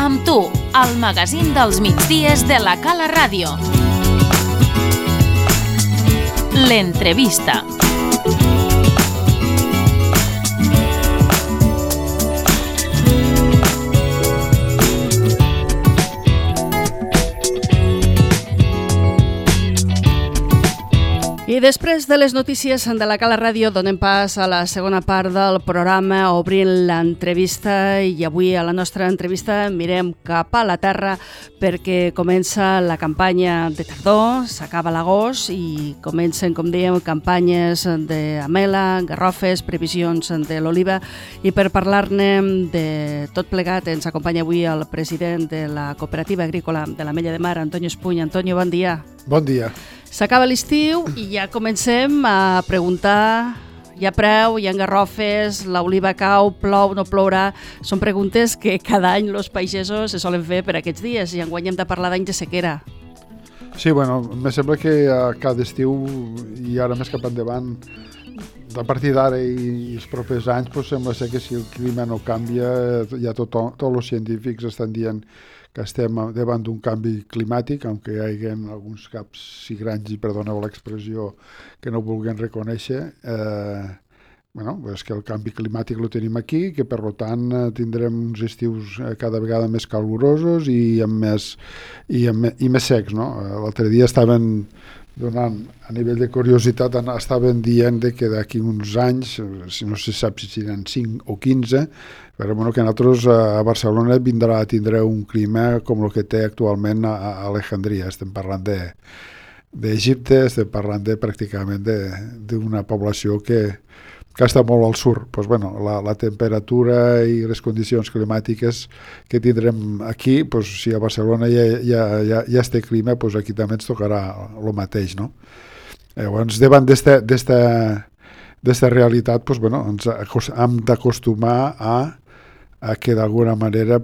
Amb tu, el magazín dels migdies de la Cala Ràdio. L'entrevista. I després de les notícies de la Cala Ràdio donem pas a la segona part del programa obrint l'entrevista, i avui a la nostra entrevista mirem cap a la terra perquè comença la campanya de tardor, s'acaba l'agost i comencen, com dèiem, campanyes d'amela, garrofes, previsions de l'oliva, i per parlar-ne de tot plegat ens acompanya avui el president de la Cooperativa Agrícola de l'Ametlla de Mar, Antonio Espuny. Antonio, bon dia. Bon dia. S'acaba l'estiu i ja comencem a preguntar, hi ha preu, hi ha garrofes, l'oliva cau, plou, no plourà. Són preguntes que cada any els pagesos se solen fer per aquests dies, i enguany hem de parlar d'any de sequera. Sí, bueno, me sembla que cada estiu i ara més cap endavant, a partir d'ara i els propers anys, doncs sembla ser que si el clima no canvia, ja tots els científics estan dient que estem davant d'un canvi climàtic, aunque hi hagi alguns caps sigrans, i perdoneu l'expressió, que no vulguin reconèixer. És que el canvi climàtic el tenim aquí, que per tant tindrem uns estius cada vegada més calorosos i més secs, no? L'altre dia estaven donant, a nivell de curiositat, estaven dient que d'aquí uns anys, no se sap si seran 5 o 15, però que nosaltres a Barcelona tindrà un clima com el que té actualment a Alejandria. Estem parlant d'Egipte, estem parlant pràcticament d'una població que està molt al sud. La temperatura i les condicions climàtiques que tindrem aquí, si a Barcelona ja té clima, aquí també ens tocarà el mateix, no? Llavors, davant d'esta realitat, ens hem d'acostumar a que d'alguna manera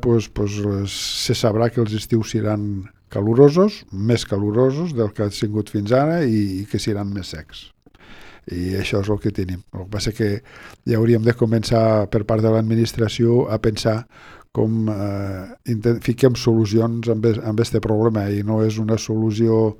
se sabrà que els estius seran calorosos, més calorosos del que han sigut fins ara, i que seran més secs. I això és el que tenim. El que passa que ja hauríem de començar per part de l'administració a pensar com fiquem solucions amb aquest problema, i no és una solució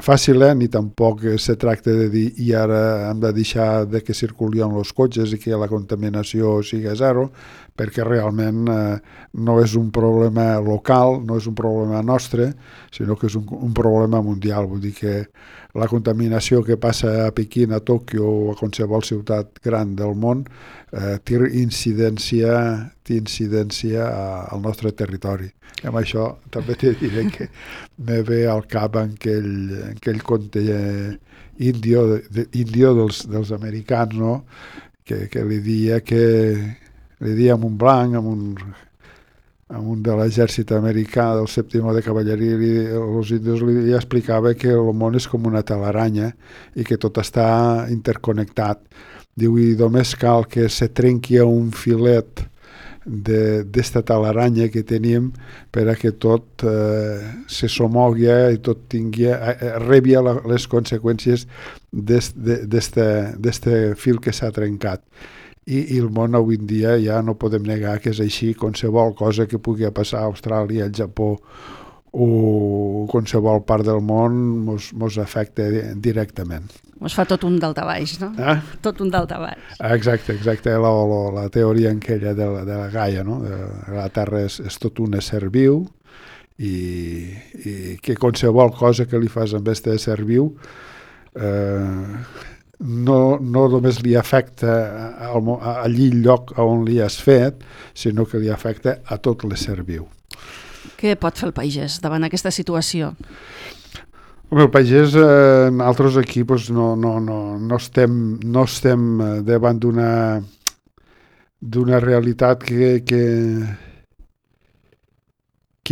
fàcil, ni tampoc se tracta de dir i ara hem de deixar de que circulin els cotxes i que la contaminació sigui zero, perquè realment no és un problema local, no és un problema nostre, sinó que és un problema mundial. Vull dir que la contaminació que passa a Pequín, a Tòquio o a qualsevol ciutat gran del món té incidència al nostre territori. I amb això també te diré que me ve al cap aquell conte índio dels americans, no? Que li dia a un blanc, a un de l'exèrcit americà del 7è de cavalleria, els índios li explicava que el món és com una telaranya i que tot està interconnectat. Diu, i només cal que se trenqui un filet d'esta telaranya que tenim per a que tot se somogui i tot rebi les conseqüències d'este fil que s'ha trencat. I el món avui en dia ja no podem negar que és així. Qualsevol cosa que pugui passar a Austràlia, al Japó o qualsevol part del món mos afecta directament. Mos fa tot un daltabaix, no? Tot un daltabaix. Exacte. La teoria aquella de la Gaia, no? La Terra és tot un ésser viu, i que qualsevol cosa que li fas amb aquest ésser viu no només li afecta allí el lloc on li has fet, sinó que li afecta a tot l'ésser viu. Què pot fer el pagès davant aquesta situació? El pagès, nosaltres aquí no estem davant d'una realitat que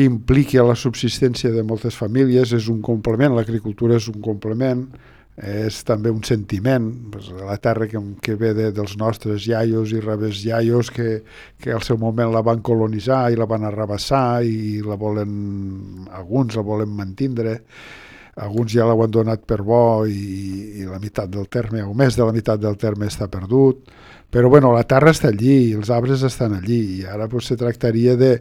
impliqui la subsistència de moltes famílies. És un complement, l'agricultura és un complement, és també un sentiment. La terra que ve dels nostres iaios i rebés iaios que al seu moment la van colonitzar i la van arrabassar, i alguns la volen mantindre. Alguns ja l'han donat per bo i la meitat del terme, o més de la meitat del terme, està perdut. Però la terra està allí, els arbres estan allí, i ara se tractaria de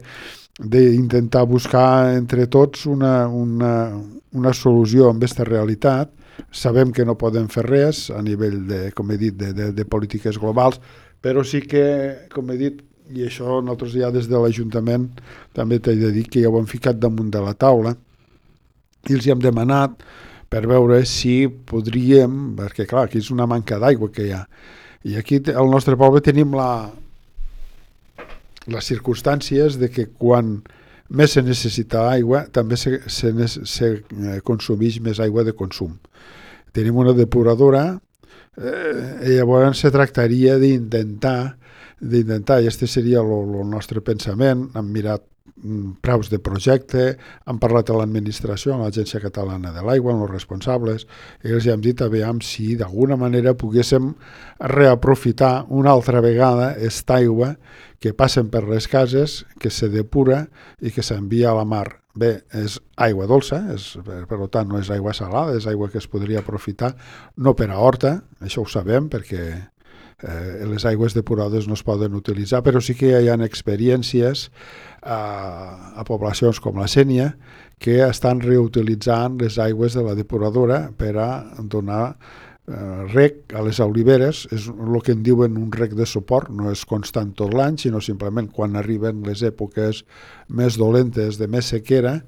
d'intentar buscar entre tots una solució amb aquesta realitat. Sabem que no podem fer res a nivell com he dit, de polítiques globals, però sí que, com he dit, i això nosaltres ja des de l'Ajuntament també t'he de dir que ja ho hem ficat damunt de la taula i els hi hem demanat per veure si podríem, perquè clar, aquí és una manca d'aigua que hi ha, i aquí al nostre poble tenim les circumstàncies de que quan més se necessita aigua també se consumeix més aigua de consum. Tenim una depuradora i llavors se tractaria d'intentar, i aquest seria el nostre pensament. Hem mirat preus de projecte, hem parlat a l'administració, a l'Agència Catalana de l'Aigua, amb els responsables, i els hem dit aviam si d'alguna manera poguéssim reaprofitar una altra vegada aquesta aigua que passen per les cases, que se depura i que s'envia a la mar. Bé, és aigua dolça, per tant no és aigua salada, és aigua que es podria aprofitar, no per a horta, això ho sabem perquè les aigües depurades no es poden utilitzar, però sí que hi ha experiències a poblacions com la Sénia que estan reutilitzant les aigües de la depuradora per a donar rec a les oliveres. És el que en diuen un rec de suport, no és constant tot l'any, sinó simplement quan arriben les èpoques més dolentes de més sequera,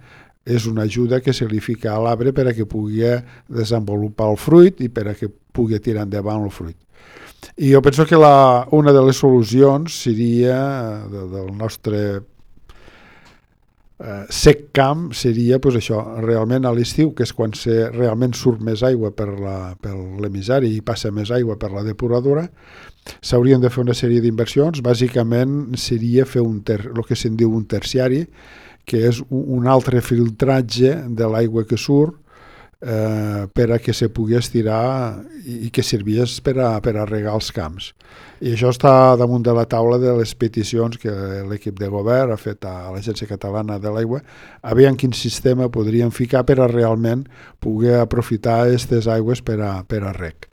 és una ajuda que se li fica a l'arbre per a que pugui desenvolupar el fruit i per a que pugui tirar endavant el fruit. I jo penso que una de les solucions seria del nostre sec camp seria pues això, realment a l'estiu, que és quan realment surt més aigua per l'emissari i passa més aigua per la depuradora, s'haurien de fer una sèrie d'inversions. Bàsicament seria fer el que se'n diu un terciari, que és un altre filtratge de l'aigua que surt per a que se pugui estirar i que servis per a regar els camps. I això està damunt de la taula de les peticions que l'equip de govern ha fet a l'Agència Catalana de l'Aigua, a veure en quin sistema podríem ficar per a realment poder aprofitar aquestes aigües per a reg.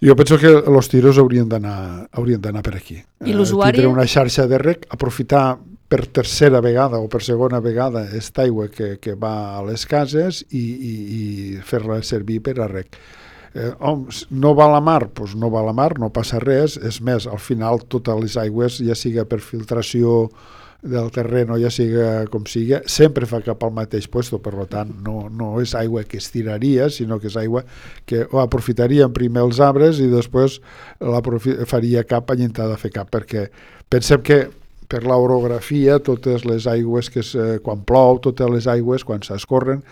Jo penso que els tiros haurien d'anar per aquí. I l'usuari? Tindre una xarxa de reg, aprofitar per tercera vegada o per segona vegada aquesta aigua que va a les cases i fer-la servir per a reg. No va a la mar? Doncs no va a la mar, no passa res. És més, al final totes les aigües, ja siga per filtració del terreny o ja siga com siga, sempre fa cap al mateix lloc, per tant no és aigua que es tiraria, sinó que és aigua que aprofitarien primer els arbres i després faria cap a intentar fer cap, perquè pensem que per l'orografia, totes les aigües quan plou, totes les aigües quan s'escorren,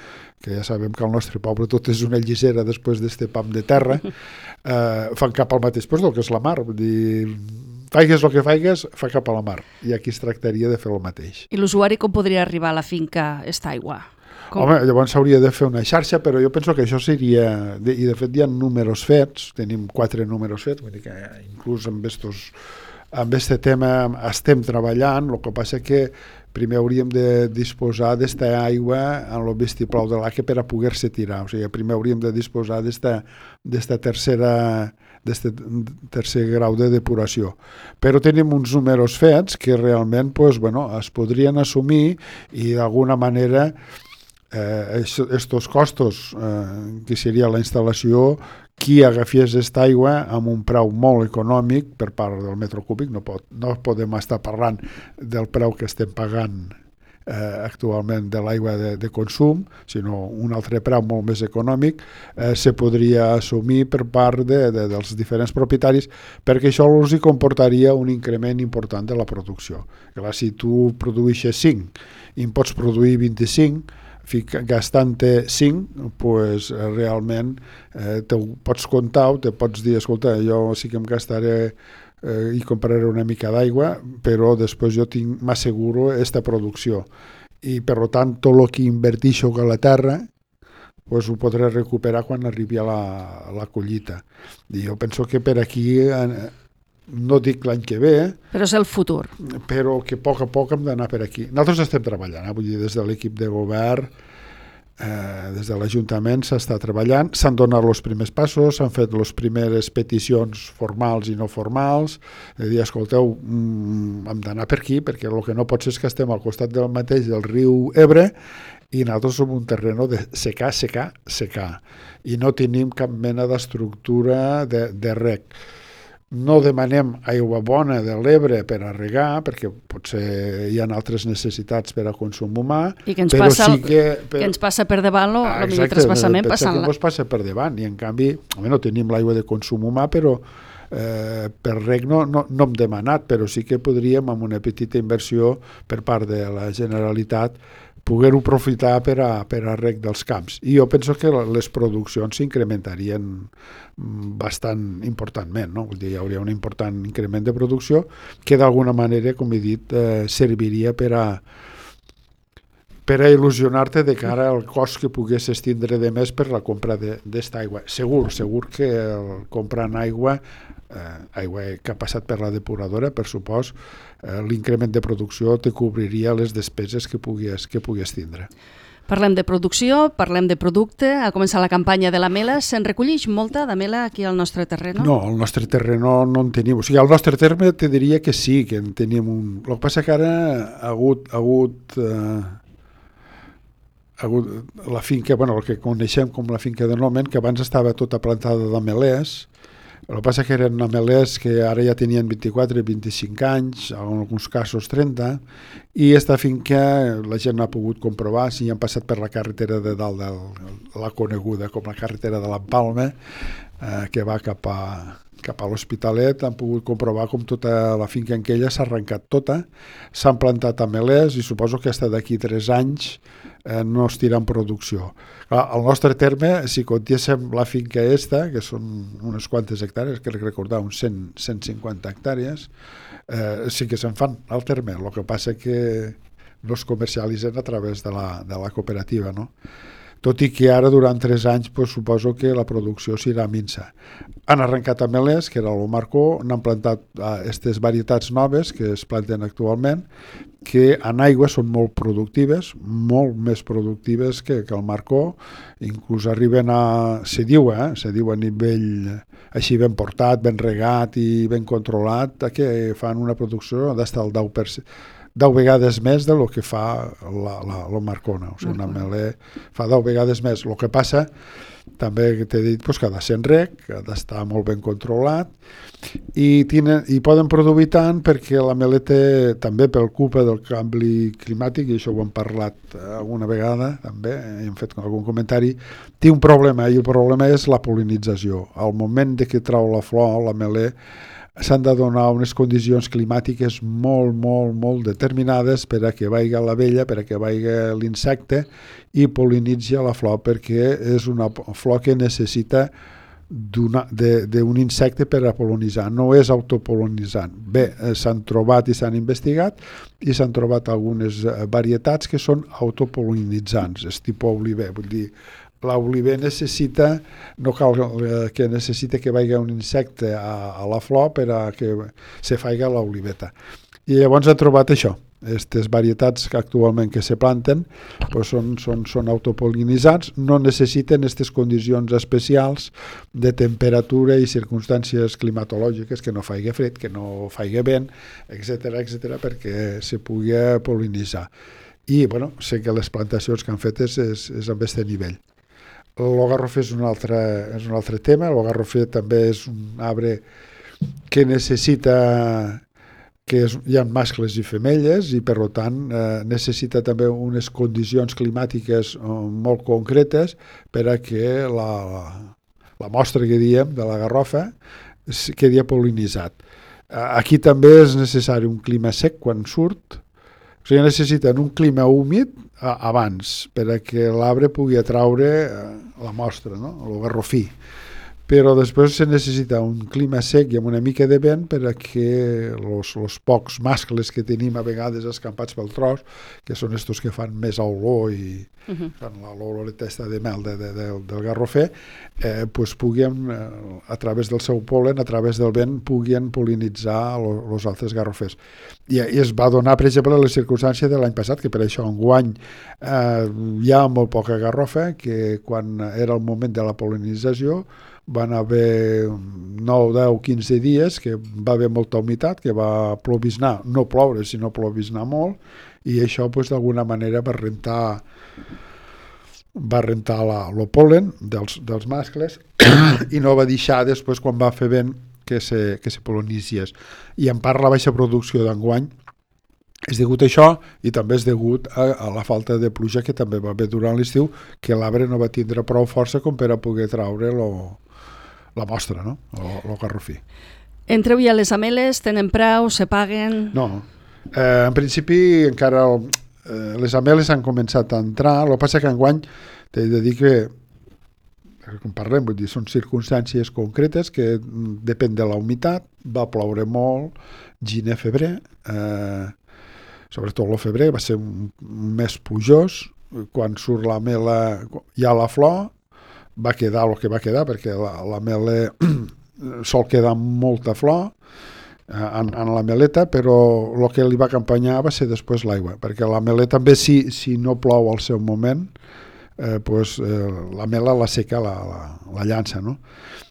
que ja sabem que al nostre poble tot és una llisera després d'este pam de terra, fan cap al mateix lloc, que és la mar. Vull dir, faigues el que faigues, fa cap a la mar. I aquí es tractaria de fer el mateix. I l'usuari com podria arribar a la finca esta aigua? Home, llavors s'hauria de fer una xarxa, però jo penso que això seria... I de fet hi ha números fets, tenim 4 números fets, vull dir que inclús amb aquest tema estem treballant. El que passa que primer hauríem de disposar d'esta aigua en el vistiplau de l'Aque per a poder-se tirar. O sigui, primer hauríem de disposar d'esta tercer grau de depuració. Però tenim uns números fets que realment es podrien assumir i d'alguna manera estos costos que seria la instal·lació, qui agafies aquesta aigua amb un preu molt econòmic per part del metre cúbic, no podem estar parlant del preu que estem pagant actualment de l'aigua de consum, sinó un altre preu molt més econòmic, se podria assumir per part dels diferents propietaris, perquè això els comportaria un increment important de la producció. Clar, si tu produeixes 5 i en pots produir 25, gastant-te 5, doncs realment te pots comptar o te pots dir, escolta, jo sí que em gastaré i compraré una mica d'aigua, però després jo m'asseguro aquesta producció. I per tant, tot el que inverteixo a la terra doncs ho podré recuperar quan arribi a la collita. I jo penso que per aquí... No dic l'any que ve, però és el futur. Però que a poc hem d'anar per aquí. Nosaltres estem treballant, vull dir, des de l'equip de govern Des de l'Ajuntament s'està treballant, s'han donat els primers passos, s'han fet les primeres peticions formals i no formals, de dir, escolteu, hem d'anar per aquí, perquè el que no pot ser és que estem al costat del mateix del riu Ebre i nosaltres som un terreno de secar, i no tenim cap mena d'estructura de reg. No demanem aigua bona de l'Ebre per a regar, perquè potser hi ha altres necessitats per a consum humà, i que ens però passa, sí que ens passa per davant el millor trasbassament passant-la. Exacte, ens passa per davant, i en canvi no tenim l'aigua de consum humà, però per reg no hem demanat, però sí que podríem, amb una petita inversió per part de la Generalitat, poder-ho aprofitar per a reg dels camps. I jo penso que les produccions s'incrementarien bastant importantment, no? Vull dir, hi hauria un important increment de producció que d'alguna manera, com he dit, serviria per a il·lusionar-te de cara al cost que poguessis tindre de més per la compra d'esta aigua. Segur que comprant aigua que ha passat per la depuradora, per supòs, l'increment de producció te cobriria les despeses que pugues tindre. Parlem de producció, parlem de producte, ha començat la campanya de la mela, se'n recollix molta de mela aquí al nostre terreno? No, al nostre terreno no en tenim, o sigui, al nostre terme te diria que sí, que en tenim un... El que passa que ara ha hagut la finca, el que coneixem com la finca de Nomen, que abans estava tota plantada d'amelers. El que passa que eren amelers que ara ja tenien 24 i 25 anys, en alguns casos 30, i esta finca la gent ha pogut comprovar, si han passat per la carretera de dalt, la coneguda com la carretera de l'Empalme, que va cap a l'Hospitalet, han pogut comprovar com tota la finca en aquella s'ha arrencat tota, s'han plantat amelers i suposo que fins d'aquí 3 anys no es tira en producció. Al nostre terme, si contiéssim la finca esta, que són unes quantes hectàrees, crec recordar uns 150 hectàrees, sí que se'n fan al terme, el que passa que no es comercialitzen a través de la cooperativa, no? Tot i que ara, durant 3 anys, suposo que la producció serà minsa. Han arrencat amelers, que era el Marcó, n'han plantat aquestes varietats noves que es planten actualment, que en aigua són molt productives, molt més productives que el Marcó, inclús arriben se diu a nivell així ben portat, ben regat i ben controlat, que fan una producció d'estar al 10 vegades més del que fa la Marcona. O sigui, un ameler fa 10 vegades més. El que passa, també t'he dit, que ha de ser en reg, que ha d'estar molt ben controlat, i poden produir tant perquè l'ameler té, també pel culpa del canvi climàtic, i això ho hem parlat alguna vegada, també, hem fet algun comentari, té un problema, i el problema és la pol·linització. Al moment que trau la flor, l'ameler, s'han de donar unes condicions climàtiques molt determinades per a que vagi l'abella, per a que vagi l'insecte i pol·linitzi la flor, perquè és una flor que necessita d'un insecte per a pol·linitzar, no és autopol·linitzant. Bé, s'han trobat i s'han investigat i s'han trobat algunes varietats que són autopol·linitzants, és tipus oliver, vull dir, l'oliver no cal que necessita que vagi un insecte a la flor per a que se faci l'oliveta. I llavors ha trobat això. Aquestes varietats que actualment que se planten són autopol·linitzants, no necessiten aquestes condicions especials de temperatura i circumstàncies climatològiques, que no faci fred, que no faci vent, etc perquè se pugui pol·linitzar. I sé que les plantacions que han fet és amb aquest nivell. El garrofer és un altre tema. El garrofer també és un arbre que necessita que hi ha mascles i femelles i per tant necessita també unes condicions climàtiques molt concretes per a que la mostra que diem de la garrofa quedi pol·linitzat. Aquí també és necessari un clima sec quan surt. O sigui, necessiten un clima húmid abans per a que l'arbre pugui atraure la mostra, no? El garrofí. però després se necessita un clima sec i amb una mica de vent per a que els pocs mascles que tenim a vegades escampats pel tros, que són estos que fan més olor i fan l'oloreta de mel del garrofer, pues puguin, a través del seu pol·len, a través del vent, puguin pol·linitzar els altres garrofers. I es va donar, per exemple, la circumstància de l'any passat, que per això enguany hi ha molt poca garrofa, que quan era el moment de la pol·linització van haver 9, 10, 15 dies que va haver molta humitat, que va plovisnar, no ploure, sinó plovisnar molt, i això pues, d'alguna manera va rentar el pol·len dels mascles i no va deixar després, quan va fer vent, que se pol·linitzés. I en part la baixa producció d'enguany és degut a això i també és degut a la falta de pluja que també va haver durant l'estiu, que l'arbre no va tindre prou força com per a poder traure la mostra, no? El garrofí. Entreu ja les ameles, tenen preu, se paguen? No, en principi encara les ameles han començat a entrar, el que passa que enguany t'he de dir que com parlem, vull dir, són circumstàncies concretes que depèn de la humitat, va ploure molt, gener, febrer, sobretot el febrer va ser un mes plujós, quan surt la mela, hi ha la flor, va quedar el que va quedar, perquè la mela sol quedar molta flor en la meleta, però el que li va acompanyar va ser després l'aigua, perquè la meleta també, si no plou al seu moment, la mela la seca la llança, no?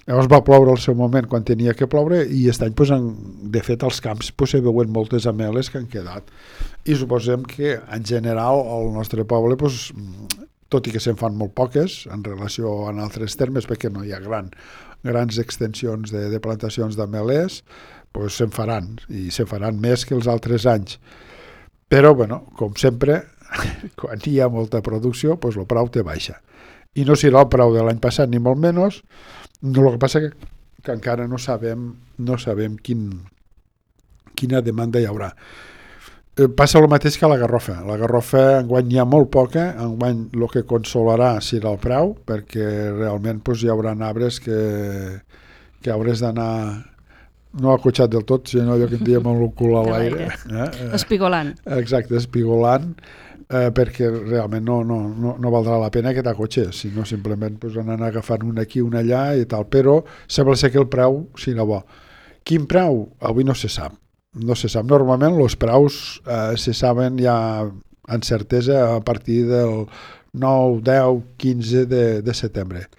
Llavors va ploure al seu moment quan tenia que ploure i aquest any, de fet, als camps se veuen moltes ameles que han quedat. I suposem que, en general, al nostre poble, tot i que se'n fan molt poques en relació a altres termes, perquè no hi ha grans extensions de plantacions d'amelers, se'n faran, i se'n faran més que els altres anys. Però, com sempre, quan hi ha molta producció, el preu té baixa. I no serà el preu de l'any passat, ni molt menys. El que passa que encara no sabem quina demanda hi haurà. Passa el mateix que a la garrofa. La garrofa enguany hi ha molt poca, enguany el que consolarà serà el preu, perquè realment hi haurà arbres que hauràs d'anar no acotxat del tot, sinó allò que en diem amb el cul a l'aire. Espigolant. Exacte, espigolant, perquè realment no valdrà la pena que t'acotxes, sinó simplement anar agafant un aquí, un allà i tal, però sembla ser que el preu serà bo. Quin preu? Avui no se sap. No se sap. Normalment els preus se saben ja amb certesa a partir del 9, 10, 15 de setembre.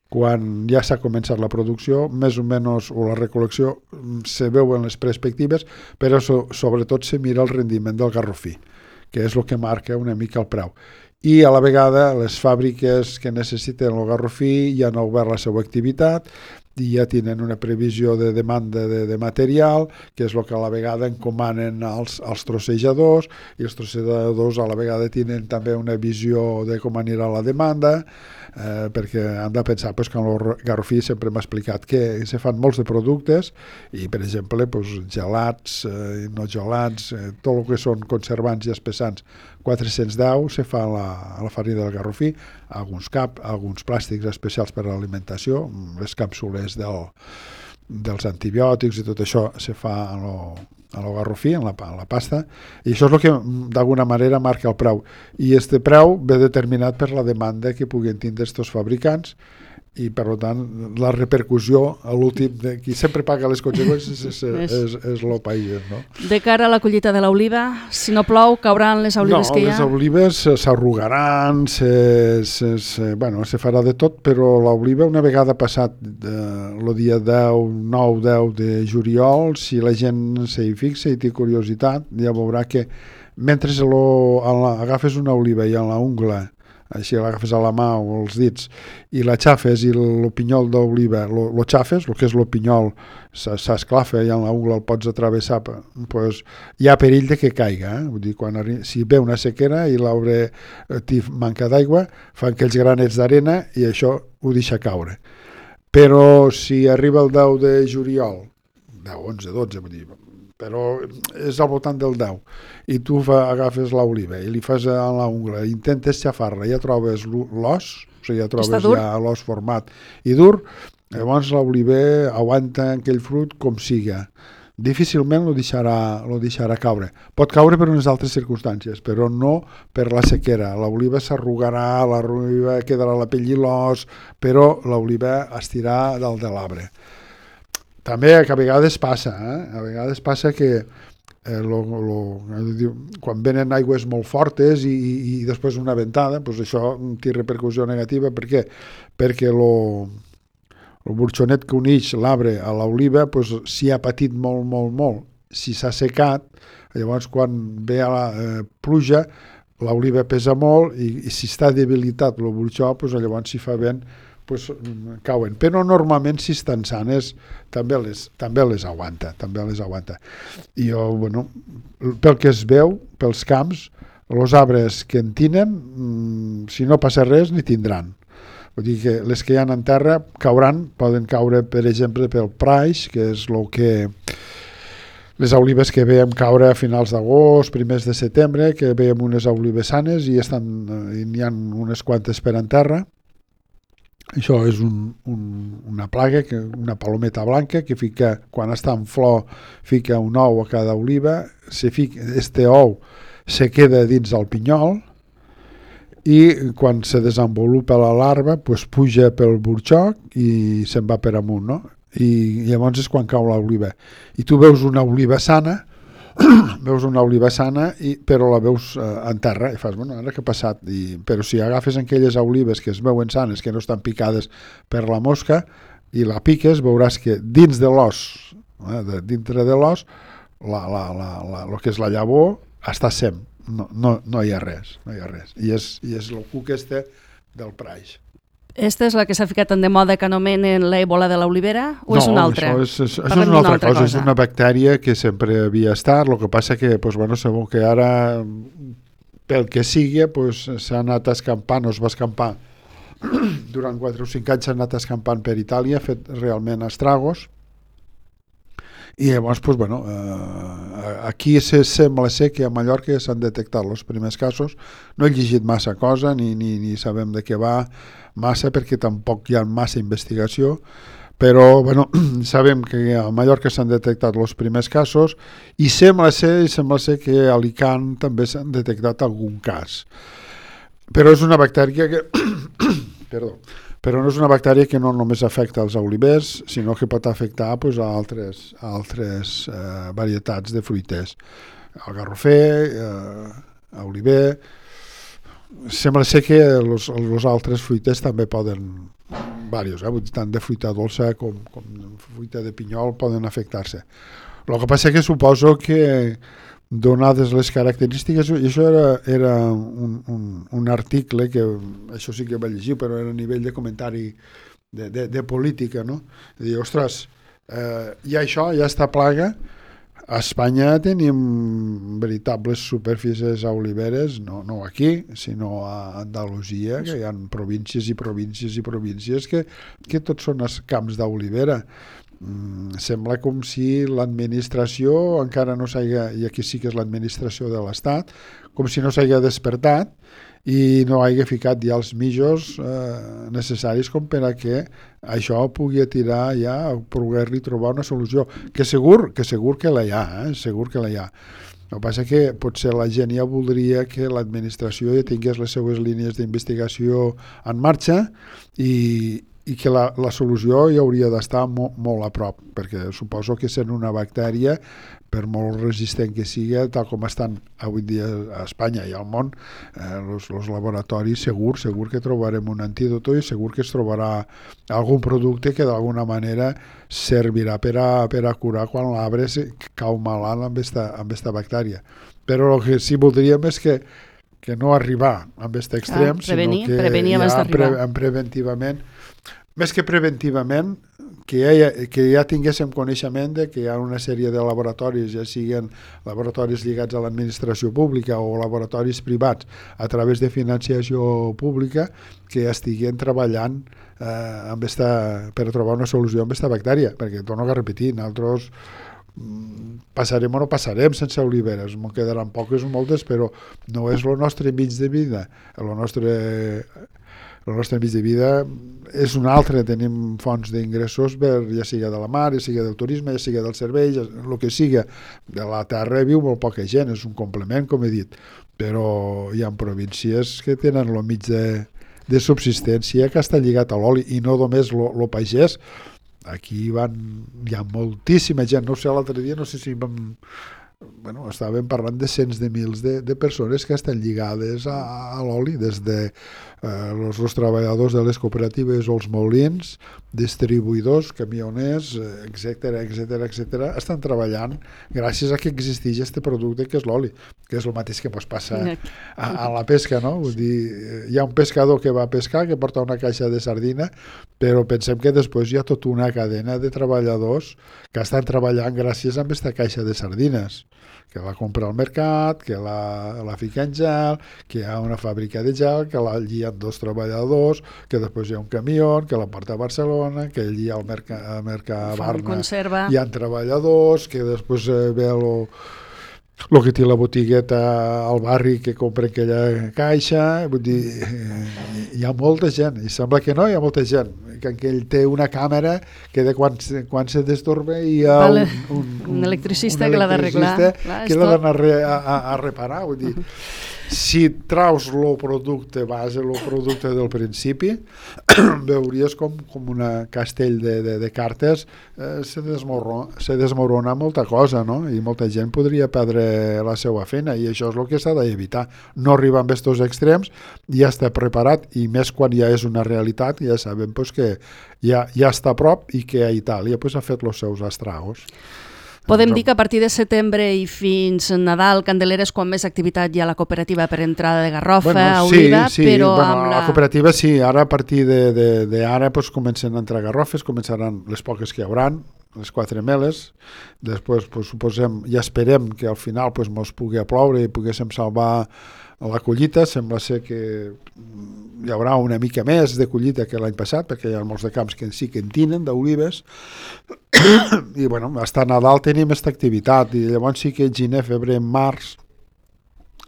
Quan ja s'ha començat la producció, més o menys, o la recol·lecció, se veuen les perspectives, però sobretot se mira el rendiment del garrofí, que és el que marca una mica el preu. I a la vegada les fàbriques que necessiten el garrofí ja han obert la seva activitat i ja tenen una previsió de demanda de material, que és el que a la vegada encomanen als trossejadors, i els trossejadors a la vegada tenen també una visió de com anirà la demanda, perquè han de pensar que en el garrofí sempre m'ha explicat que se fan molts de productes i, per exemple, gelats, no gelats, tot el que són conservants i espessants 410 se fa a la farina del garrofí, alguns plàstics especials per a l'alimentació, les càpsules dels antibiòtics i tot això se fa a el garrofí, en la pasta, i això és el que d'alguna manera marca el preu. I aquest preu ve determinat per la demanda que puguin tindre aquests fabricants i, per tant, la repercussió a l'últim, qui sempre paga les conseqüències és el país, no? De cara a la collita de l'oliva, si no plou, cauran les olives que hi ha? No, les olives s'arrugaran, se farà de tot, però l'oliva, una vegada passat el dia 9-10 de juliol, si la gent s'hi fixa i té curiositat, ja veurà que mentre agafes una oliva i en la ungla, així l'agafes a la mà o els dits i la xafes i el pinyol d'oliva lo xafes, el que és el pinyol s'esclafa i en la ungla el pots atravessar, hi ha perill de que caiga, vull dir, si ve una sequera i l'arbre manca d'aigua, fan aquells granets d'arena i això ho deixa caure. Però si arriba el 10 de juliol, 10, 11, 12, vull dir, però és al voltant del 10, i tu agafes l'oliva i li fas a l'ungla, intentes xafar-la, ja trobes l'os, o sigui, ja trobes ja l'os format i dur, Llavors l'oliver aguanta aquell fruit com siga. Difícilment lo deixarà caure. Pot caure per unes altres circumstàncies, però no per la sequera. L'oliva s'arrugarà, l'oliva quedarà la pell i l'os, però l'oliva estirà dalt de l'arbre. També que a vegades passa, a vegades passa que quan venen aigües molt fortes i després una ventada, doncs això té repercussió negativa. Per què? Perquè el burxonet que uneix l'arbre a l'oliva, doncs, si ha patit molt, si s'ha secat, llavors quan ve a la pluja, l'oliva pesa molt i si està debilitat el burxó, doncs, llavors si fa vent, doncs, cauen. Però normalment si estan sanes també les aguanta. I jo, bueno, pel que es veu, pels camps, els arbres que en tenen, si no passa res, ni tindran. Vull dir que les que hi ha en terra poden caure, per exemple, pel praix, que és el que les olives que veiem caure a finals d'agost, primers de setembre, que veiem unes olives sanes i n'hi ha unes quantes per en terra. Això és una plaga, una palometa blanca que fica, quan està en flor, fica un ou a cada oliva, este ou se queda dins del pinyol i quan se desenvolupa la larva doncs puja pel burxoc i se'n va per amunt, no? I llavors és quan cau l'oliva. I tu veus una oliva sana, però la veus en terra i fas, bueno, ara què ha passat? Però si agafes aquelles olives que es veuen sanes, que no estan picades per la mosca, i la piques, veuràs que dins de l'os, dintre de l'os, el que és la llavor està sem. No hi ha res. I és el cuc del praix. Esta és la que s'ha ficat en de moda que anomenen l'èbola de l'olivera o és una altra? No, això és una altra cosa. És una bactèria que sempre havia estat, el que passa que, segur que ara, pel que sigui, s'ha anat escampant, o es va escampar durant 4 o 5 anys, s'ha anat escampant per Itàlia, ha fet realment estragos. I llavors, aquí sembla ser que a Mallorca s'han detectat els primers casos. No he llegit massa cosa, ni sabem de què va massa, perquè tampoc hi ha massa investigació, però sabem que a Mallorca s'han detectat els primers casos i sembla ser que a Alicant també s'han detectat algun cas. Però és una bactèria que... Però no és una bactèria que no només afecta els olivers, sinó que pot afectar a altres varietats de fruiters. El garrofer, l'oliver... Sembla ser que els altres fruiters també poden, tant de fruita dolça com fruita de pinyol, poden afectar-se. El que passa que suposo que, donades les característiques, i això era un article que això sí que va llegir, però era a nivell de comentari de política, no? De dir, ostres, hi ha això, hi ha esta plaga. A Espanya tenim veritables superfícies a oliveres, no aquí, sinó a Andalusia, que hi ha províncies que tots són camps d'olivera. Sembla com si l'administració encara no s'hagi, i aquí sí que és l'administració de l'Estat, com si no s'hagi despertat i no hagi ficat ja els mitjos necessaris com per a que això pugui tirar ja, poder-li trobar una solució, que segur que la hi ha, segur que la hi ha. El que passa que potser la gent ja voldria que l'administració ja tingués les seues línies d'investigació en marxa i que la solució ja hauria d'estar molt a prop, perquè suposo que sent una bactèria, per molt resistent que sigui, tal com estan avui dia a Espanya i al món, els laboratoris segur que trobarem un antídot i segur que es trobarà algun producte que d'alguna manera servirà per a curar quan l'arbre cau malalt amb esta bactèria. Però el que sí voldríem és que no arribar a aquest extrem, sinó que ja preventivament, més que preventivament, que ja tinguéssim coneixement de que hi ha una sèrie de laboratoris, ja siguin laboratoris lligats a l'administració pública o laboratoris privats a través de financiació pública, que estiguen treballant per trobar una solució amb aquesta bactèria, perquè torno a repetir, nosaltres passarem o no passarem sense oliveres, m'ho quedaran poques o moltes, però no és el nostre mig de vida, el nostre mig de vida és un altre, tenim fonts d'ingressos ja siga de la mar, ja siga del turisme, ja siga del servei, el que siga. De la terra viu molt poca gent, és un complement, com he dit, però hi ha províncies que tenen el mig de subsistència que està lligat a l'oli, i no només lo pagès. Aquí hi ha moltíssima gent, no sé, l'altre dia no sé si estàvem parlant de cents de mils de persones que estan lligades a l'oli, des de els treballadors de les cooperatives o els molins, distribuïdors, camioners, etcètera, estan treballant gràcies a que existeix aquest producte que és l'oli, que és el mateix que ens passa a la pesca, no? Vull dir, hi ha un pescador que va a pescar, que porta una caixa de sardina, però pensem que després hi ha tota una cadena de treballadors que estan treballant gràcies a aquesta caixa de sardines, que la compra al mercat, que la fica en gel, que hi ha una fàbrica de gel, que allí hi ha 2 treballadors, que després hi ha un camió, que la porta a Barcelona, que allí al Mercabarna hi ha treballadors, que després ve el que té la botigueta al barri que compra aquella caixa. Vull dir, hi ha molta gent, i sembla que no, hi ha molta gent, que ell té una càmera que de quan se destorba hi ha un electricista que l'ha d'arreglar, que l'ha d'anar a reparar. Vull dir, si traus el producte base, el producte del principi, veuries com una castell de cartes se desmorona molta cosa, no? I molta gent podria perdre la seva feina, i això és el que s'ha d'evitar. No arribar amb aquests extrems, ja està preparat, i més quan ja és una realitat, ja sabem que ja està a prop i que a Itàlia ha fet els seus estragos. Podem dir que a partir de setembre i fins Nadal, Candelera, és quan més activitat hi ha a la cooperativa per entrada de garrofa, oliva, però amb la cooperativa sí, ara a partir d'ara comencen a entrar garrofes, començaran les poques que hi hauran, les 4 meles, després suposem i esperem que al final mos pugui ploure i poguéssim salvar la collita. Sembla ser que hi haurà una mica més de collita que l'any passat, perquè hi ha molts de camps que sí que en tenen d'olives, i fins a Nadal tenim aquesta activitat, i llavors sí que gener, febrer, març,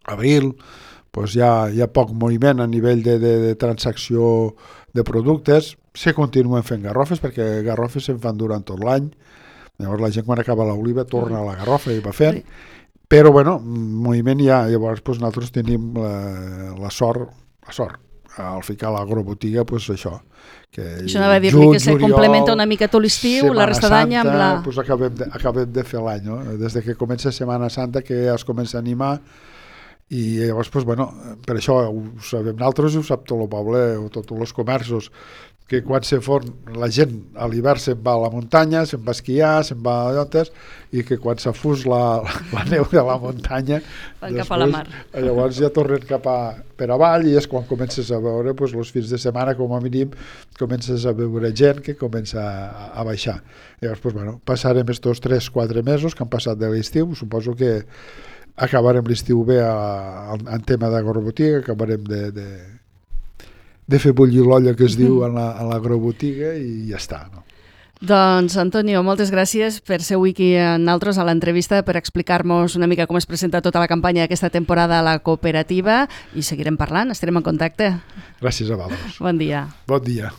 abril, hi ha poc moviment a nivell de transacció de productes. Se continuen fent garrofes, perquè garrofes se'n fan durant tot l'any, llavors la gent quan acaba l'oliva torna a la garrofa i va fent, però moviment hi ha. Llavors nosaltres tenim la sort al ficar l'agrobotiga, això anava a dir-li que se complementa una mica tot l'estiu, la resta d'any amb la... acabem de fer l'any, no? Des que comença Setmana Santa que ja es comença a animar, i llavors per això ho sabem nosaltres i ho sap tot el poble o tots els comerços, que quan se fon la gent a l'hivern se'n va a la muntanya, se'n va a esquiar, se'n va a llotes, i que quan s'afús la neu de la muntanya van cap a la mar. Llavors ja tornen per avall, i és quan comences a veure els fins de setmana, com a mínim comences a veure gent que comença a baixar. Llavors passarem estos 3-4 mesos que han passat de l'estiu. Suposo que acabarem l'estiu bé en tema d'agrobotiga, acabarem de fer bullir l'olla, que es diu, a l'agrobotiga, i ja està, no? Doncs, Antonio, moltes gràcies per ser avui aquí amb nosaltres a l'entrevista, per explicar-nos una mica com es presenta tota la campanya d'aquesta temporada a la cooperativa, i seguirem parlant, estarem en contacte. Gràcies a vosaltres. Bon dia. Bon dia.